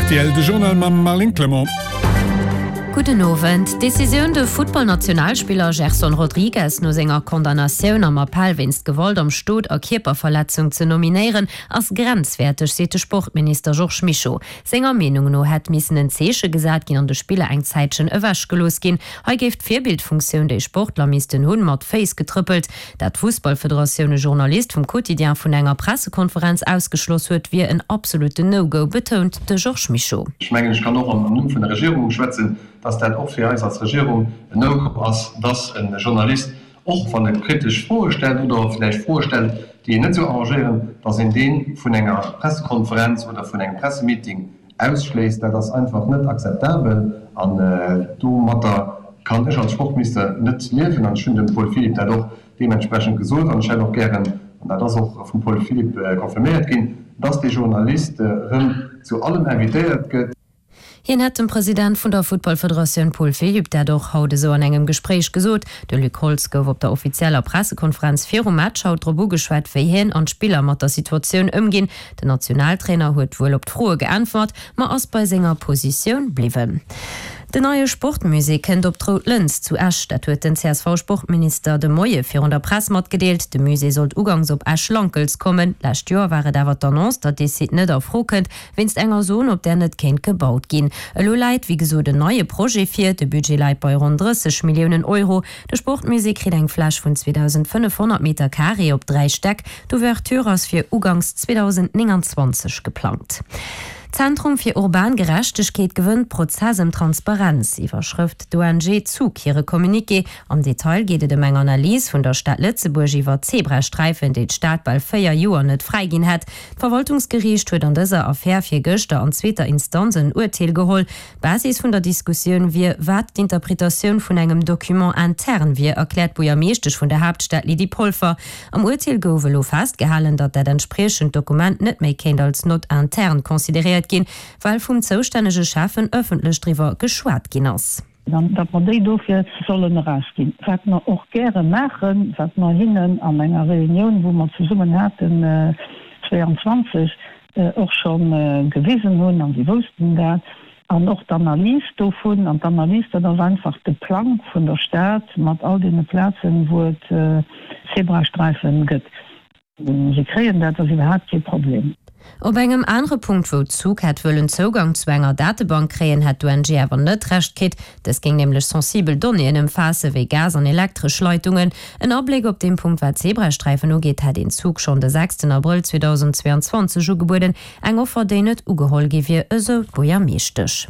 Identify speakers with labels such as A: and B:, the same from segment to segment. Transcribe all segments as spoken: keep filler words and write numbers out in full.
A: R T L, de Journal mam Marlene Clement.
B: Gudden Owend. D'Decisioun, de Futtballnationalspiller Gerson Rodrigues no senger Condamnatioun am Appell wéinst Gewalt am Stot a Kierperverletzung ze nominéieren, ass grenzwäerteg, seet de Sportminister Georges Mischo. Senger Meenung no hätt missen en Zeeche gesat ginn an de Spiller eng Zäitchen ewechgelooss ginn. Hei géif d'Virbildfunktioun, déi Sportler missten hunn, mat Féiss getrëppelt. Dat d'Fussballfederatioun e Journalist vum Quotidien vun enger Pressekonferenz ausgeschloss huet, wier en absolutten No-Go, betount de Georges Mischo.
C: Ech mengen, ech kann och am Numm vun der Regierung schwätzen, dass dat och fir eis als Regierung en No-Go ass, dass e Journalist, och wann e kritesch Froe stellt oder vläicht Froe stellt, déi een net esou arrangéieren, dass een dee vun enger Pressekonferenz oder vun engem Pressemeeting ausschléisst. Dat ass einfach net akzeptabel an domatter kann ech als Sportminister net liewen. An ech hunn dem Paul Philipp dat och deementsprechend gesot an ech hätt och gären, an dat ass och vum Paul Philipp confirméiert ginn, dass dee Journalist erëm zu allem invitéiert gëtt.
B: Hien hätt dem President vun der Futtballfederatioun Paul Philipp dat och haut esou an engem Gespréich gesot. De Luc Holtz gouf op der offizieller Pressekonferenz virum Match haut drop ugeschwat, wéi hien an d'Spiller mat der Situatioun ëmginn. Den Nationaltrainer huet wuel op d'Froe geäntwert, ma ass bei senger Positioun bliwwen. Den neie Sportmusée kënnt op d'Rout Lëns zu Esch. Dat huet den C S V-Sportminister de Moie virun der Press matgedeelt. De Musée sollt ugangs op Esch-Lankelz kommen. Lescht Joer war et awer d'Annonce, datt dee Site net a Fro kënnt, wéinst enger Zon, op där net kéint gebaut ginn. Elo läit, wéi gesot, en neie Projet vir. De Budget läit bei ronn drësseg Milliounen Euro. De Sportmusée kritt eng Fläch vun zweedausendfënnefhonnert Meter Carré op dräi Stäck. D'Ouverture ass fir ugangs zweedausendnénganzwanzeg geplangt. Zentrum fir urban Gerechtegkeet gewënnt Prozess ëm Transparenz, iwwerschrëft d'O N G ZUG hire Communiqué. Am Detail geet et ëm eng Analys vun der Stad Lëtzebuerg iwwer Zebrasträifen, déi d'Stad bal véier Joer net fräiginn hätt. D'Verwaltungsgeriicht huet an dëser Affär virgëschter an zweeter Instanz en Urteel geholl. Basis vun der Diskussioun wier, wat d'Interpretatioun vun engem Document interne wier, erkläert d'Buergermeeschtesch vun der Haaptstad Lydie Polfer. Am Urteel gouf elo festgehalen, datt dat entspriechend Dokument net méi kéint als Note interne consideréiert ginn, well vum zoustännege Schäffen ëffentlech driwwer geschwat ginn ass.
D: Dann, datt mer déi dofir sollen erausginn. Wat mer och gäre maachen, wat mer hinnen an enger Reunioun, wou mer zesummen haten zwéianzwanzeg, och scho gewisen hunn, an si woussten dat, an och d'Analys dovun, an d'Analys, dat ass einfach de Plang vun der Stad mat all deene Plazen, wou et Zebrasträife gëtt. Si kréien dat, dat ass iwwerhaapt kee Problem.
B: Op engem anere Punkt, wou d'ZUG hätt wëllen Zougang zu enger Datebank kréien, hätt d'O N G awer net Recht kritt. Dës géing nämlech sensibel Donnéeën ëmfaasse wéi Gas an elektresch Leitungen. En Abléck op deem Punkt, wat d'Zebrasträifen ugeet, hätt een ZUG schonn de sechsten Abrëll zweedausendzweeanzwanzeg ugebueden, eng Offer, déi net ugeholl gi wier, esou d'Buergermeeschtesch.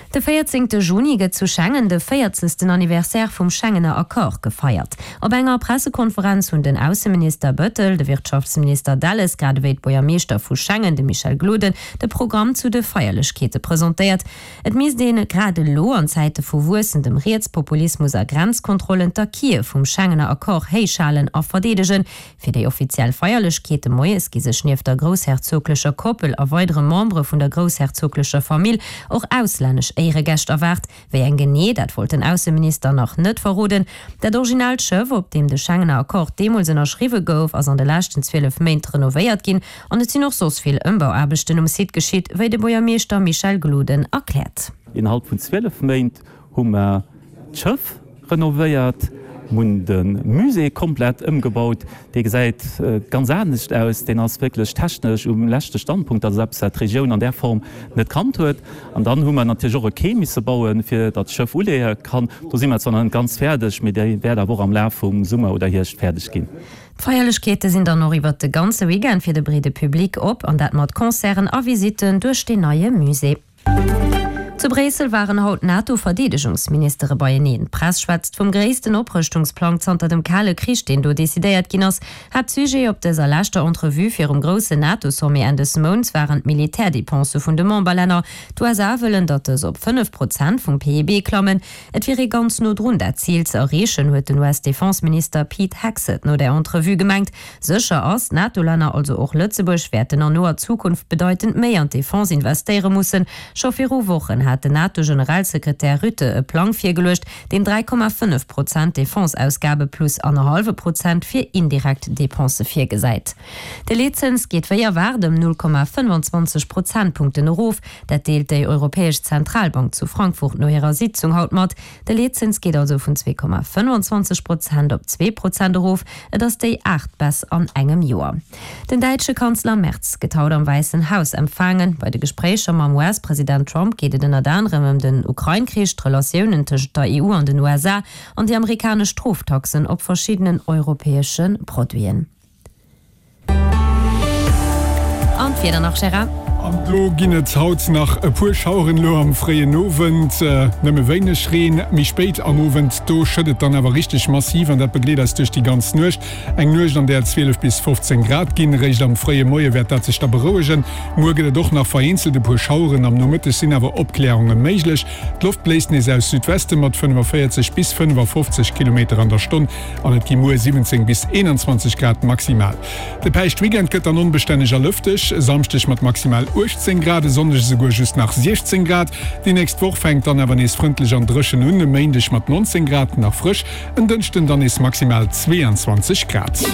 B: De véierzéngte Juni gëtt zu Schengen de véierzegsten Anniversaire vum Schengener Accord gefeiert. Op enger Pressekonferenz hunn den Ausseminister Bettel, de Wirtschaftsminister Delles, grad ewéi d'Buergermeeschter vu Schengen, de Michel Gloden, de Programm zu de Feierlechkeete presentéiert. Et misst een grad elo an Zäite vu wuessendem Rietspopulismus a Grenzkontrollen d'Acquise vum Schengener Accord héichhalen a verdeedegen. Fir déi offiziell Feierlechkeete moies gi sech nieft der groussherzoglecher Koppel a weidere Membere vun der groussherzoglecher Famill och auslännesch Éieregäscht erwaart. Wéi eng genee, dat wollt den Ausseminister nach net verroden. Dat originaalt Schëff, op deem de Schengener Accord deemools ënnerschriwwe gouf, ass an de leschten zwielef Méint renovéiert ginn an et sinn och soss vill Ëmbauaarbechten um Site geschitt, wéi de Buergermeeschter Michel Gloden erkläert.
E: Innerhalb vun zwielef Méint hu mer d'Schëff renovéiert, hunn de Musée komplett ëmgebaut, dee gesäit ganz anescht aus, deen ass wierklech technesch um leschte Standpunkt, dat ass eppes, wat d'Regioun an där Form net kannt huet. An dann hu mer natierlech och e Quai misse bauen, fir datt d'Schëff uleeë kann. Do si mer zwar nach net ganz fäerdeg, mee dee wäert awer och am Laf vum Summer oder Hierscht fäerdeg ginn.
B: D'Feierlechkeete sinn dann och iwwer de ganze Weekend fir de breede Public op, an dat mat Concerten a Visitten duerch deen neie Musée. Zu Bréissel waren haut d'NATO-Verdeedegungsministere beieneen. D'Press schwätzt vum gréissten Oprëschtungsplang zanter dem Kale Krich, deen do decidéiert ginn ass. Haaptsujet op dëser leschter Entrevue virum groussen NATO-Sommet Enn des Mounts waren d'Militärdepensë vun de Memberlänner. D'U S A wëllen, datt dës op fënnef Prozent vum P I B klammen. Et wier ee ganz no drun, dat Zil ze erreechen, huet den U S-Defenseminister Pete Hegseth no der Entrevue gemengt. Sécher ass, d'NATO-Länner, also och Lëtzebuerg, wäerten an noer Zukunft bedeitend méi an d'Defense investéiere mussen. Scho viru Wochen hat den NATO-Generalsekretär Rutte e Plang virgeluecht, deen dräi Komma fënnef Prozent Defense-Ausgabe plus annerhallwe Prozent fir indirekt Depensë virgesäit. De Leetzëns geet wéi erwaart ëm null Komma fënnwanzwanzeg Prozentpunkten erof. Dat deelt déi Europäesch Zentralbank zu Frankfurt no hirer Sitzung haut mat. De Leetzëns geet also vun zwee Komma fënnwanzwanzeg Prozent op zwee Prozent erof. Et ass déi aacht Baisse an engem Joer. Den däitsche Kanzler Merz gëtt haut am Wäissen Haus empfaangen. Bei de Gespréicher mam U S-President Trump geet et ënnert anerem ëm den Ukrain-Krich, d'Relatiounen tëschent der E U an den U S A an déi amerikanesch Stroftaxen op verschiddenen europäesche Produiten. An d'Wieder nach, Gérard?
A: An do ginn et haut nach e puer Schaueren elo am fréien Owend, nëmme wéineg Reen. Méi spéit am Owend, do schëtt et dann awer richteg massiv an dat begleet eis duerch déi ganz Nuecht. Eng Nuecht, an där et zwielef bis fofzéng Grad ginn. Réischt am fréie Moie wäert dat sech da berouegen. Muer gëtt et och nach vereenzelt e puer Schaueren, am Nomëtteg sinn awer Opkläerunge méiglech. D'Loft bléist nees aus Südweste mat fënnefaféierzeg bis fënnefafofzeg Kilometer an der Stonn an et gi muer siwwenzéng bis eenanzwanzeg Grad maximal. De Päischtweekend gëtt dann onbestänneg a lëfteg, e Samschdeg mat maximal uechtzéng Grad, e Sonndeg esouguer just nach siechzéng Grad. Déi nächst Woch fänkt dann awer nees frëndlech an dréchen un, e Méindeg mat nonzéng Grad nach frësch, en Dënschden dann nees maximal zweeanzwanzeg Grad.